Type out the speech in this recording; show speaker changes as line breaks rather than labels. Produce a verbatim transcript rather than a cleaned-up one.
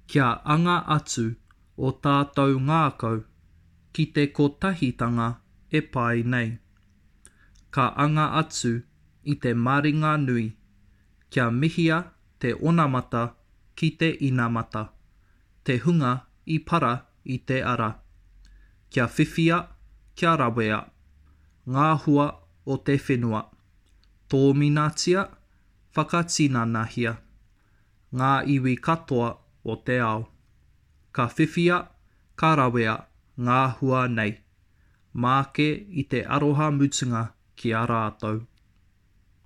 Kia anga atu o tātou ngākau ki te kotahitanga e pae nei. Ka anga atu i te maringanui kia mihia te onamata ki te inamata, te hunga i para i te ara. Kia whiwhia, kia rawea, ngā hua o te whenua. Tōminatia, whakatinanahia, ngā iwi katoa o te ao. Ka whiwhia, ka rawea ngā hua nei, māke i te aroha mutunga ki a rātou.